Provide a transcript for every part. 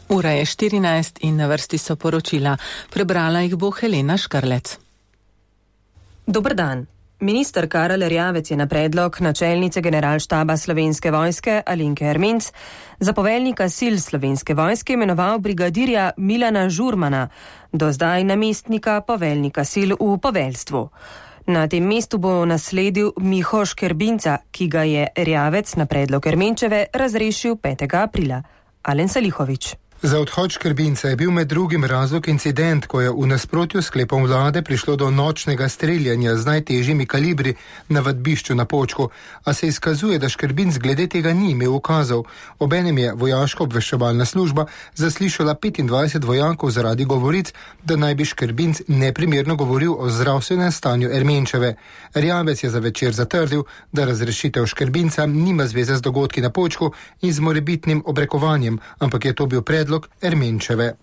Ura je 14 in na vrsti so poročila. Prebrala jih bo Helena Škarlec. Dober dan. Minister Karel Erjavec je na predlog načelnice generalštaba Slovenske vojske Alenke Ermenc za poveljnika sil Slovenske vojske imenoval brigadirja Milana Žurmana, do zdaj namestnika poveljnika sil v poveljstvu. Na tem mestu bo nasledil Miho Škerbinca, ki ga je Erjavec na predlog Ermenčeve razrešil 5. aprila. Alen Salihovič. Za odhod Škerbinca je bil med drugim razlog incident, ko je v nasprotju s sklepom vlade prišlo do nočnega streljanja z najtežjimi kalibri na vadbišču na Počku, a se izkazuje, da Škerbinc glede tega ni imel ukazov. Obenem je vojaška obveščevalna služba zaslišala 25 vojakov zaradi govoric, da naj bi Škerbinc neprimerno govoril o zdravstvenem stanju Ermenčeve. Erjavec je za Večer zatrdil, da razrešitev Škerbinca nima zveze z dogodki na Počku in z morebitnim obrekovanjem, ampak je to bil predlog Ermenčeve.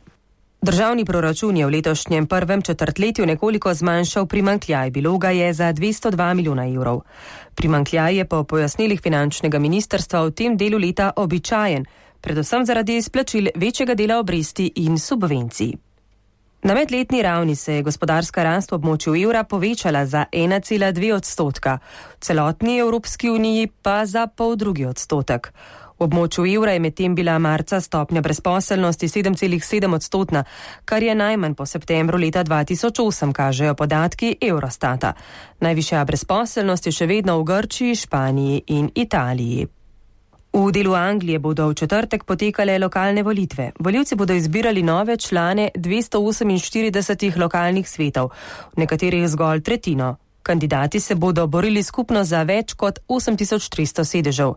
Državni proračun je v letošnjem prvem četrtletju nekoliko zmanjšal primanjkljaj, bilo ga je za 202 milijona evrov. Primanjkljaj je po pojasnilih finančnega ministrstva v tem delu leta običajen, predvsem zaradi izplačil večjega dela obresti in subvencij. Na medletni ravni se je gospodarska rast v območju evra povečala za 1,2%, v celotni Evropski uniji pa za 0,5%. V območju evra je medtem bila marca stopnja brezposelnosti 7,7%, kar je najmanj po septembru leta 2008, kažejo podatki Eurostata. Najvišja brezposelnost je še vedno v Grčiji, Španiji in Italiji. V delu Anglije bodo v četrtek potekale lokalne volitve. Volivci bodo izbirali nove člane 248 lokalnih svetov, v nekaterih zgolj tretjino. Kandidati se bodo borili skupno za več kot 8300 sedežev.